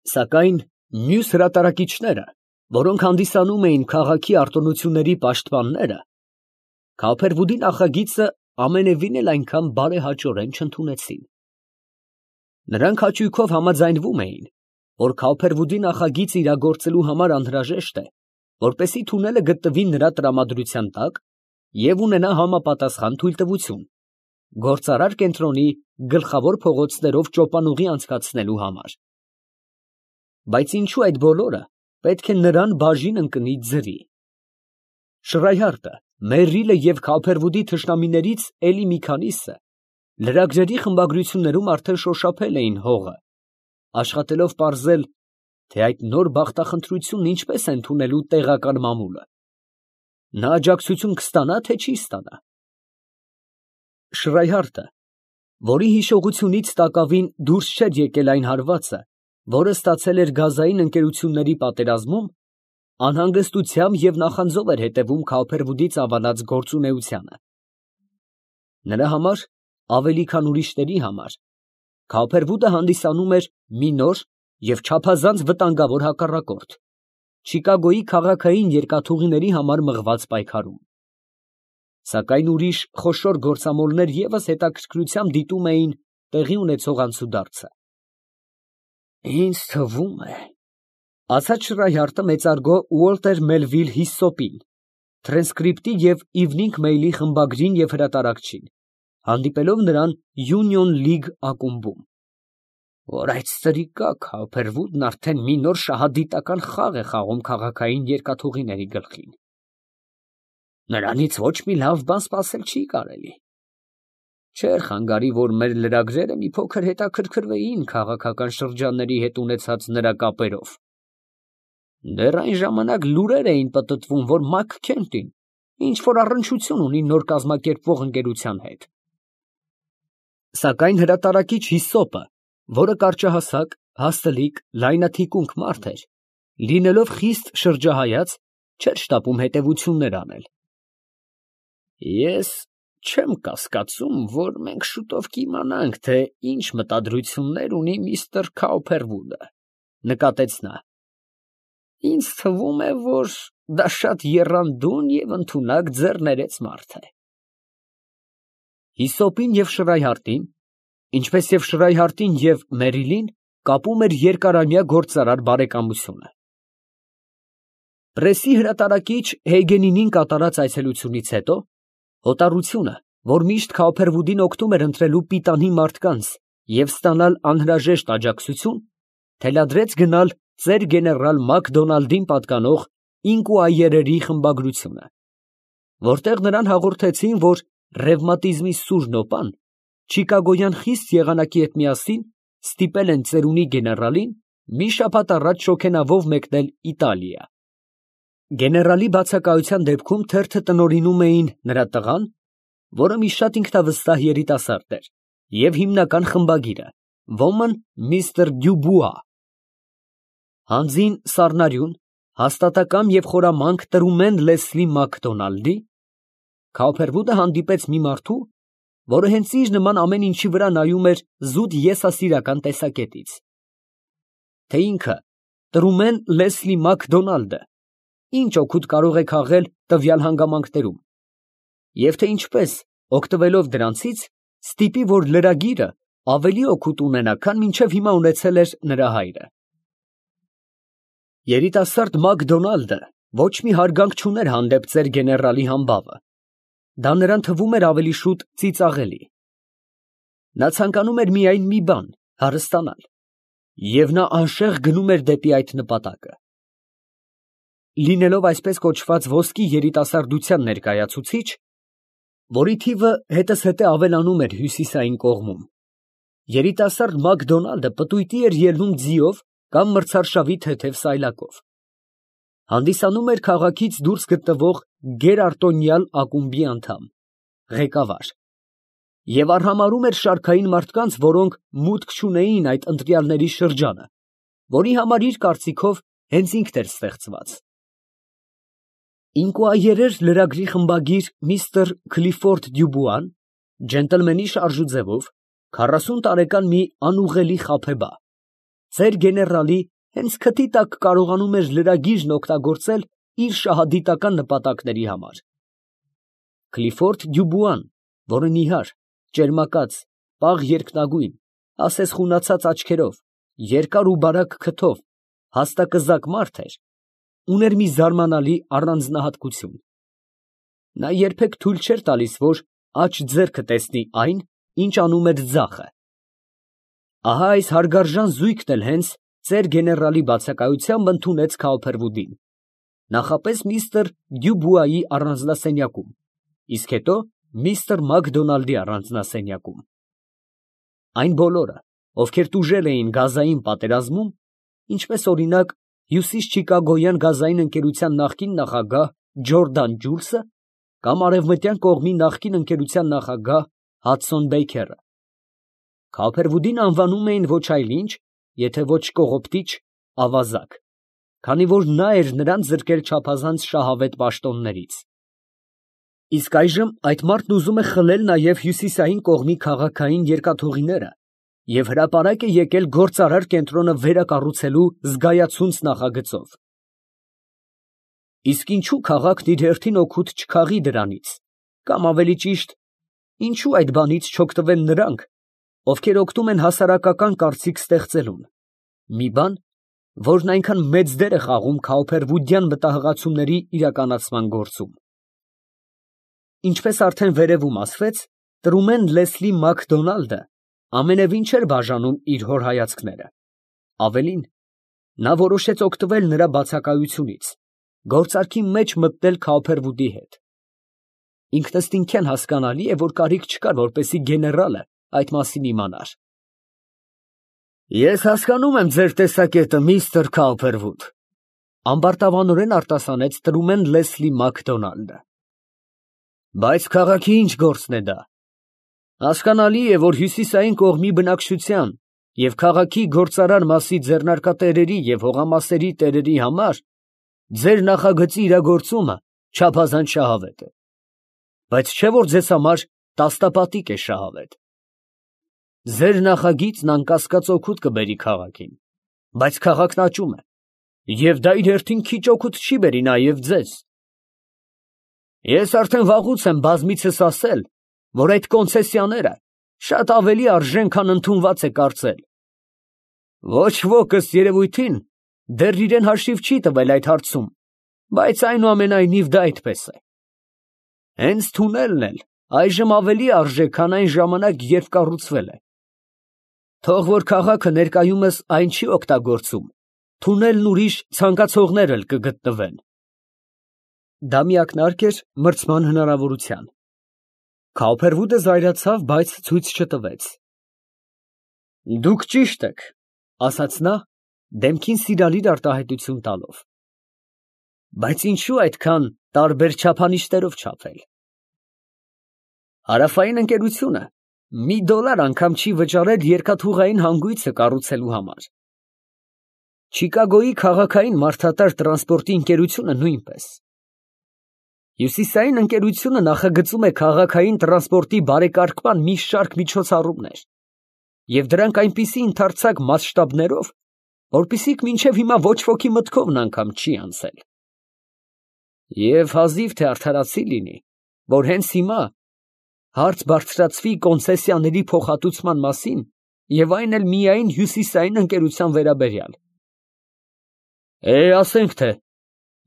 Սակայն մյուս հրատարակիչները, որոնք հանդիսանում էին քաղաքի արտոնությունների պաշտպանները, Քափերվուդի նախագիծը ամենևին էլ այնքան բարեհաճորեն չընդունեցին։ Նրանք հաճույքով համաձայնվում էին, որ Քափերվուդի նախագիծը իրագործելու համար անհրաժեշտ է, որպեսզի թունելը գտնվի նրա տրամադրության տակ և ունենա համապատասխան թույլտվություն, գործարար կենտրոնի գլխավոր փողոցներով ճոպանուղի անցկացնելու համար։ Բայց ինչու այդ բոլորը պետք է նրան բաժին ընկնի ձրի։ Շրայհարտը, Մերրիլը և Քափերվուդի թշնամիներից էլի մի քանիսը լրագրերի խմբագրություններում արդեն շոշափել էին հողը, աշխատելով պարզել, թե այդ նոր բախտախնդրությունն ինչպես է ընդունելու տեղական մամուլը, նա աջակցություն կստանա, թե չի ստանա։ Շրայհարտը, որի հիշողությունից տակավին դուրս չէր եկել այն հարվածը, որը ստացել էր գազային ընկերությունների պատերազմում, անհանգստությամբ և նախանձով էր հետևում Քափերվուդի ծավալած գործունեությանը։ Նրա համար, ավելի քան ուրիշների համար, Քափերվուդը հանդիսանում էր մի նոր և չափազանց վտանգավոր հակառակորդ Չիկագոյի քաղաքային երկաթուղիների համար մղված պայքարում։ Սակայն ուրիշ խոշոր գործամոլներ ևս հետաքրքրությամբ դիտում էին տեղի ունեցող անցուդարձը։ «Ինձ թվում է, ֊ ասաց Շրայհարտը մեծարգո Ուոլտեր Մելվիլ Հիսսոպին, Թրանսկրիպտի և Իվնինգ Մեյլի խմբագրին և հրատարակչին, հանդիպելով նրան Յունիոն Լիգ ակումբում, ֊ որ այդ ստրիկա Քափերվուդն արդեն մի նոր շահադիտական խաղ է խաղում քաղաքային երկաթուղիների գլխին։ Նրանից ոչ մի լավ բան սպասել չի կարելի։ Չէր խանգարի, որ մեր լրագրերը մի փոքր հետաքրքրվեին քաղաքական շրջանների հետ ունեցած նրա կապերով. դեռ այն ժամանակ լուրեր էին պտտվում, որ Մաքքենթին ինչ֊որ առնչություն ունի նոր կազմակերպվող ընկերության հետ։ Սակայն հրատարակիչ Հիսսոպը, որը կարճահասակ, հաստլիկ, լայնաթիկունք մարդ էր, լինելով խիստ շրջահայաց, չէր շտապում հետևություններ անել։ Ես չեմ կասկածում, որ մենք շուտով կիմանանք, թե ինչ մտադրություններ ունի միստր Քափերվուդը, ֊ նկատեց նա։ Ինձ թվում է, որ դա շատ եռանդուն և ընդունակ ձեռներեց մարդ է։ Հիսոպին և Շրայհարտին, ինչպես և Շրայհարտին և Մերիլին, կապում էր երկարամյա գործարար բարեկամությունը։ Պրեսի հրատարակիչ Հեյգենինին կատարած այցելությունից հետո հոտառությունը, որ միշտ Քափերվուդին օգնում էր ընտրելու պիտանի մարդկանց և ստանալ անհրաժեշտ աջակցություն, թելադրեց գնալ ծեր գեներալ Մակդոնալդին պատկանող Ինկուայերերի խմբագրությունը, որտեղ նրան հաղորդեցին, որ ռևմատիզմի սուր նոպան չիկագոյան խիստ եղանակի հետ միասին ստիպել են ծերունի գեներալին մի շաբաթ առաջ շոգենավով մեկնել Իտալիա։ Գեներալի բացակայության դեպքում թերթը տնօրինում էին նրա տղան, որը մի շատ ինքնավստահ երիտասարդ էր, և հիմնական խմբագիրը, ոմն միստր Դյուբուա։ Հանձին սառնարյուն, հաստատակամ և խորամանկ Տրումեն Լեսլի Մակդոնալդի Քափերվուդը հանդիպեց մի մարդու, որը հենց իր նման ամեն ինչի վրա նայում էր զուտ եսասիրական տեսակետից, թե ինքը Տրումեն Լեսլի Մակդոնալդը ինչ օգուտ կարող է քաղել տվյալ հանգամանքներում, և թե ինչպես, օգտվելով դրանցից, ստիպի, որ լրագիրը ավելի օգուտ ունենա, քան մինչև հիմա ունեցել էր նրա հայրը։ Երիտասարդ Մակդոնալդը ոչ մի հարգանք չուներ հանդեպ ծեր գեներալի համբավը, դա նրան թվում էր ավելի շուտ ծիծաղելի։ Նա ցանկանում էր միայն մի բան՝ հարստանալ, և նա անշեղ գնում էր դեպի այդ նպատակը։ Լինելով այսպես կոչված ոսկի երիտասարդության ներկայացուցիչ, որի թիվը հետզհետե ավելանում էր հյուսիսային կողմում, երիտասարդ Մակդոնալդը պտույտի էր ելնում ձիով կամ մրցարշավի թեթև սայլակով, հանդիսանում էր քաղաքից դուրս գտնվող գերարտոնյալ ակումբի անդամ, ղեկավար, և արհամարհում էր շարքային մարդկանց, որոնք մուտք չունեին այդ ընտրյալների շրջանը, որի համար իր կարծիքով հենց ինքն էր ստեղծված։ Ինկուայերեր լրագրի խմբագիր միստր Քլիֆորդ Դյուբուան, ջենտլմենի շարժուձևով, 40 տարեկան մի անուղղելի խաբեբա, ծեր գեներալի հենց քթի տակ կարողանում էր լրագիրն օգտագործել իր շահադիտական նպատակների համար։ Կլիֆորդ Դյուբուան, որը նիհար, ճերմակած, պաղ երկնագույն, ասես խունացած աչքերով, երկար ու բարակ քթով, հաստակզակ մարդ էր, ուներ մի զարմանալի առանձնահատկություն. նա երբեք թույլ չէր տալիս, որ աջ ձեռքը տեսնի այն, ինչ անում էր ձախը։ Ահա այս հարգարժան զույգն էլ հենց ծեր գեներալի բացակայությամբ ընդունեց Քալփերվուդին, նախապես միստր Դյուբուայի առանձնասենյակում, իսկ հետո միստր Մակդոնալդի առանձնասենյակում։ Այն բոլորը, ովքեր տուժել էին գազային պատերազմում, ինչպես օրինակ Հյուսիս Չիկագոյան գազային ընկերության նախկին նախագահ Ջորդան Ջուլսը կամ Արևմտյան կողմի նախկին ընկերության նախագահ Հադսոն Բեյքերը, Քալփերվուդին անվանում էին ոչ այլ ինչ, եթե ոչ կողոպտիչ, ավազակ, քանի որ նա էր նրան զրկել չափազանց շահավետ պաշտոններից։ Իսկ այժմ այդ մարդն ուզում է խլել նաև հյուսիսային կողմի քաղաքային երկաթուղիները և հրապարակ է եկել գործարար կենտրոնը վերակառուցելու զգայացունց նախագծով։ Իսկ ինչու քաղաքն իր հերթին օգուտ չքաղի դրանից, կամ ավելի ճիշտ, ինչու այդ բանից չօգտվեն նրանք, ովքեր օգնում են հասարակական կարծիք ստեղծելուն, մի բան, որն այնքան մեծ դեր է խաղում քալփերվուդյան մտահղացումների իրականացման գործում։ Ինչպես արդեն վերևում ասվեց, Տրումեն Լեսլի Մակդոնալդը ամենևին չէր բաժանում իր հոր հայացքները, ավելին, նա որոշեց օգտվել նրա բացակայությունից, գործարքի մեջ մտնել Քալփերվուդի հետ։ Ինքնըստինքյան հասկանալի է, որ կարիք չկար, որպեսզի գեներալը այդ մասին իմանար։ Ես հասկանում եմ ձեր տեսակետը, միստր Քալփերվուդ, ամբարտավանորեն արտասանեց Տրումեն Լեսլի Մակդոնալդը։ Բայց քաղաքի ինչ գործն է դա։ Հասկանալի է, որ հյուսիսային կողմի բնակչության և քաղաքի գործարար մասի ձեռնարկատերերի և հողամասերի տերերի համար ձեր նախագծի իրագործումը չափազանց շահավետ է, բայց չէ՞ որ ձեզ համար տաստապատիկ է շահավետ։ Ձեր նախագիծն անկասկած օգուտ կբերի քաղաքին, բայց քաղաքն աճում է, և դա իր հերթին քիչ օգուտ չի բերի նաև ձեզ։ Ես արդեն վաղուց եմ բազմիցս ասել, որ այդ կոնցեսիաները շատ ավելի արժեն, քան ընդունված է կարծել։ Ոչ ոք ըստ երևույթին դեռ իրեն հաշիվ չի տվել այդ հարցում, բայց այնուամենայնիվ դա այդպես է։ Հենց թունելն էլ այժմ ավելի արժե, քան այն ժամանակ, երբ կառուցվել է։ Թող որ քաղաքը ներկայումս այն չի օգտագործում, թունելն ուրիշ ցանկացողներ էլ կգտնվեն։ Դա մի ակնարկ էր մրցման հնարավորության։ Քալփերվուդը զայրացավ, բայց ցույց չտվեց։ Դուք ճիշտ եք, ասաց նա, դեմքին սիրալիր արտահայտություն տալով։ Բայց ինչու այդքան տարբեր չափանիշներով չափել։ Հարավային ընկերությունը $1 անգամ չի վճարել երկաթուղային հանգույցը կառուցելու համար։ Չիկագոյի քաղաքային մարդատար տրանսպորտի ընկերությունը նույնպես։ Հյուսիսային ընկերությունը նախագծում է քաղաքային տրանսպորտի բարեկարգման մի շարք միջոցառումներ, և դրանք այնպիսի ընդարձակ մասշտաբներով, որպեսզի մինչև հիմա ոչ ոքի մտքովն անգամ չի անցել։ Եվ հազիվ թե արդարացի լինի, որ հենց հիմա հարց բարձրացվի կոնցեսիաների փոխհատուցման մասին և այն էլ միայն հյուսիսային ընկերության վերաբերյալ։ Ասենք թե,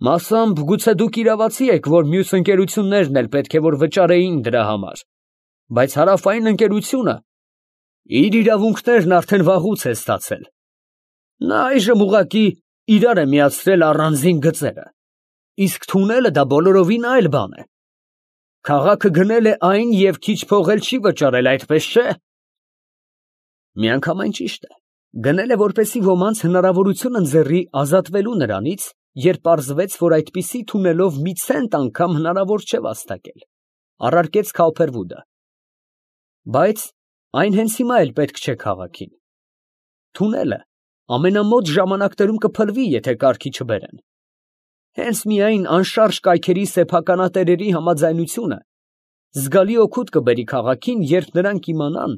մասամբ գուցե դուք իրավացի եք, որ մյուս ընկերություններն էլ պետք է որ վճարեին դրա համար, բայց հարավային ընկերությունը իր իրավունքներն արդեն վաղուց է ստացել։ Նա այժմ ուղղակի իրար է միացրել առանձին գծերը, իսկ թունելը դա բոլորովին այլ բան է։ Քաղաքը գնել է այն և քիչ փող էլ չի վճարել, այդպես չէ։ Միանգամայն ճիշտ է, գնել է, որպեսզի ոմանց հնարավորություն ընձեռի ազատվելու նրանից, երբ պարզվեց, որ այդպիսի թունելով մի ցենտ անգամ հնարավոր չէ վաստակել, առարկեց Քալփերվուդը։ Բայց այն հենց հիմա էլ պետք չէ քաղաքին։ Թունելը ամենամոտ ժամանակներում կփլվի, եթե կարգի չբերեն։ Հենց միայն անշարժ կայքերի սեփականատերերի համաձայնությունը զգալի օգուտ կբերի քաղաքին, երբ նրանք իմանան,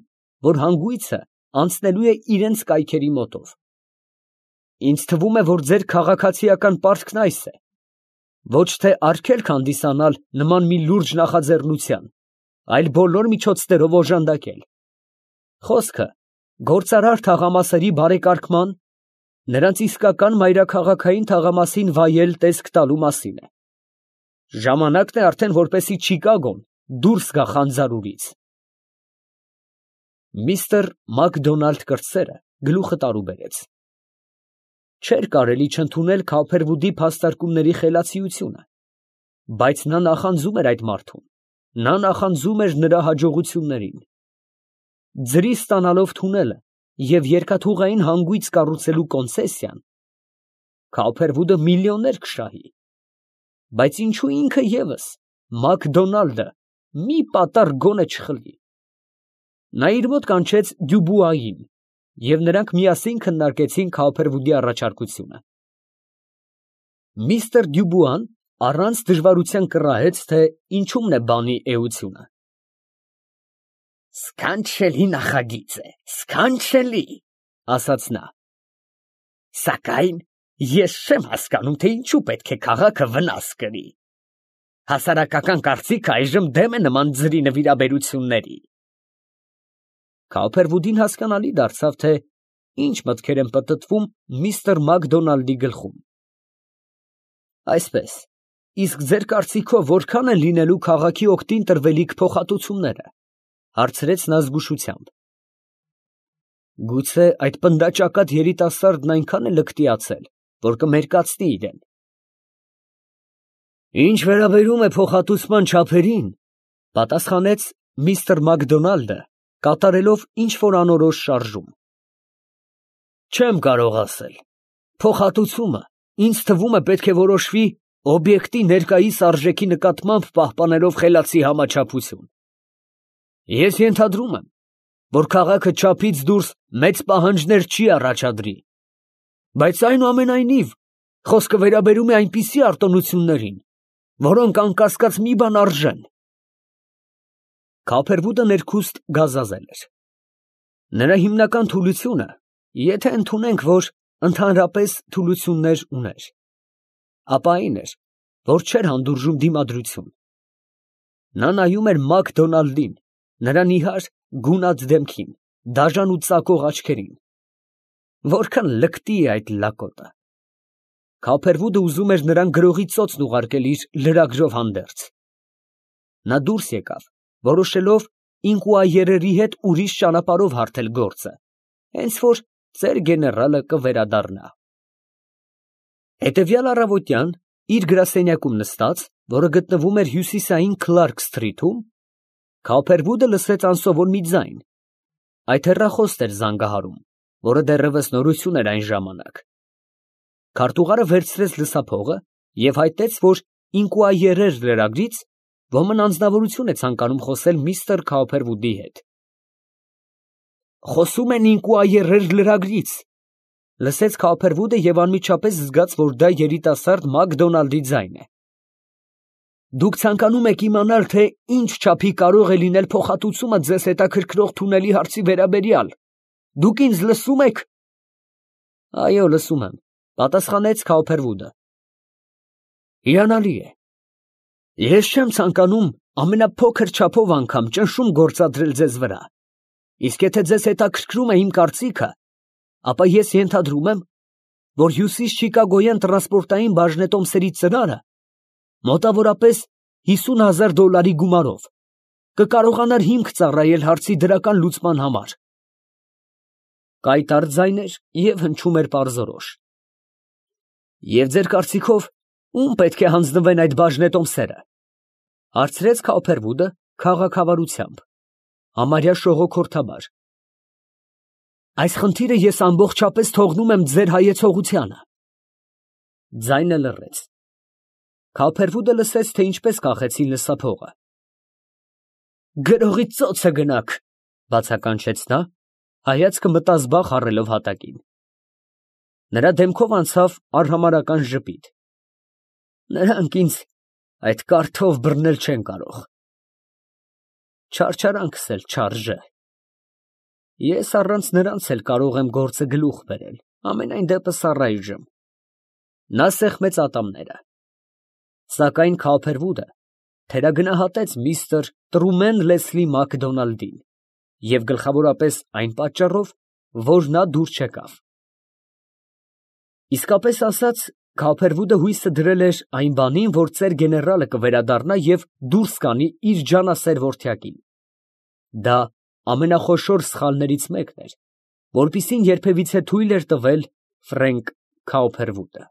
որ հանգույցը անցնելու է իրենց կայքերի մոտով։ Ինձ թվում է, որ ձեր քաղաքացիական պարտքն այս է. ոչ թե արգելք հանդիսանալ նման մի լուրջ նախաձեռնության, այլ բոլոր միջոցներով օժանդակել։ Խոսքը գործարար թաղամասերի բարեկարգման, նրանց իսկական մայրաքաղաքային թաղամասին վայել տեսք տալու մասին է։ Ժամանակն է արդեն, որպեսզի Չիկագոն դուրս գա խանձարուրից։ Միստր Մակդոնալդ կրտսերը գլուխը տարուբերեց։ Չէր կարելի չընդունել Քոփերվուդի փաստարկումների խելացիությունը, բայց նա նախանձում էր այդ մարդուն, նա նախանձում էր նրա հաջողություններին։ Ձրի ստանալով թունելը և երկաթուղային հանգույց կառուցելու կոնցեսիան, Քոփերվուդը միլիոններ կշահի, բայց ինչու ինքը ևս, Մակդոնալդը, մի պատառ գոնե չխլի։ Նա իր մոտ կանչեց Դյուբուային, և նրանք միասին քննարկեցին Քոփերվուդի առաջարկությունը։ Միստր Դյուբուան առանց դժվարության կռահեց, թե ինչումն է բանի էությունը։ «Սքանչելի նախագիծ է, սքանչելի», ասաց նա։ «Սակայն ես չեմ հասկանում, թե ինչու պետք է քաղաքը վնաս կրի։ Հասարակական կարծիքը այժմ դեմ է նման ձրի նվիրաբերությունների»։ Քոփերվուդին հասկանալի դարձավ, թե ինչ մտքեր են պտտվում միստր Մակդոնալդի գլխում։ Այսպես, իսկ ձեր կարծիքով որքան են լինելու քաղաքի օգտին տրվելիք փոխհատուցումները, հարցրեց նա զգուշությամբ։ Գուցե այդ պնդաճակատ երիտասարդն այնքան է լկտիացել, որ կմերկացնի իրեն։ Ինչ վերաբերում է փոխհատուցման չափերին, պատասխանեց միստր Մակդոնալդը, կատարելով ինչ֊որ անորոշ շարժում, չեմ կարող ասել։ Փոխհատուցումը, ինձ թվում է, պետք է որոշվի օբյեկտի ներկայիս արժեքի նկատմամբ պահպանելով խելացի համաչափություն։ Ես ենթադրում եմ, որ քաղաքը չափից դուրս մեծ պահանջներ չի առաջադրի, բայց այնուամենայնիվ խոսքը վերաբերում է այնպիսի արտոնություններին, որոնք անկասկած մի բան արժեն։ Քոփերվուդը ներքուստ գազազել էր։ Նրա հիմնական թուլությունը, եթե ընդունենք, որ ընդհանրապես թուլություններ ուներ, ապա այն էր, որ չէր հանդուրժում դիմադրություն։ Նա նայում էր Մակդոնալդին, նրա նիհար գունատ դեմքին, դաժան ու ծակող աչքերին։ Որքան լկտի է այդ լակոտը։ Քոփերվուդը ուզում էր նրան գրողի ծոցն ուղարկել իր լրագրով հանդերձ։ Նա դուրս եկավ, որոշելով ինկուայերերի հետ ուրիշ ճանապարհով հարթել գործը, հենց որ ծեր գեներալը կվերադառնա։ Հետևյալ առավոտյան, իր գրասենյակում նստած, որը գտնվում էր հյուսիսային Քլարք սթրիթում, Քոփերվուդը լսեց անսովոր մի ձայն։ Այդ հեռախոսն էր զանգահարում, որը դեռևս նորություն էր այն ժամանակ։ Քարտուղարը վերցրեց լսափողը և հայտնեց, որ ինկուայերեր լրագրից ոմն անձնավորություն է ցանկանում խոսել միստր Քոփերվուդի հետ։ Խոսում են ինկուայերեր լրագրից, լսեց Քոփերվուդը և անմիջապես զգաց, որ դա երիտասարդ Մակդոնալդի ձայնն է։ Դուք ցանկանում եք իմանալ, թե ինչ չափի կարող է լինել փոխհատուցումը ձեզ հետաքրքրող թունելի հարցի վերաբերյալ։ Դուք ինձ լսում եք։ Այո, լսում եմ, պատասխանեց Քոփերվուդը։ Հիանալի է։ Ես չեմ ցանկանում ամենափոքր չափով անգամ ճնշում գործադրել ձեզ վրա։ Իսկ եթե ձեզ հետաքրքրում է իմ կարծիքը, ապա ես ենթադրում եմ, որ հյուսիս Չիկագոյան տրանսպորտային բաժնետոմսերի ծրարը մոտավորապես $50,000 գումարով կկարողանար հիմք ծառայել հարցի դրական լուծման համար։ Կայտառ ձայներ և հնչում էր պարզորոշ։ Եվ ձեր կարծիքով, ում պետք է հանձնվեն այդ բաժնետոմսերը, հարցրեց Քոփերվուդը քաղաքավարությամբ, համարյա շողոքորթաբար։ Այս խնդիրը ես ամբողջապես թողնում եմ ձեր հայեցողությանը։ Ձայնը լռեց։ Քոփերվուդը լսեց, թե ինչպես կախեցին լսափողը։ Գրողի ծոցը գնաք, բացականչեց նա, հայացքը մտազբաղ առելով հատակին։ Նրա դեմքով անցավ արհամարհական ժպիտ։ Նրանք ինձ այդ կարթով բռնել չեն կարող։ Չարչարանքս էլ չարժե։ Ես առանց նրանց էլ կարող եմ գործը գլուխ բերել։ Ամենայն դեպս առայժմ։ Նա սեղմեց ատամները։ Սակայն Քոփերվուդը թերագնահատեց միստր Տրումեն Լեսլի Մակդոնալդին և գլխավորապես այն պատճառով, որ նա դուր չեկավ։ Իսկապես ասած, Քոփերվուդը հույսը դրել էր այն բանին, որ ծեր գեներալը կվերադառնա և դուրս կանի իր ջանասեր որդյակին։ Դա ամենախոշոր սխալներից մեկն էր, որպիսին երբևիցե թույլ էր տվել Ֆրենկ Քոփերվուդը։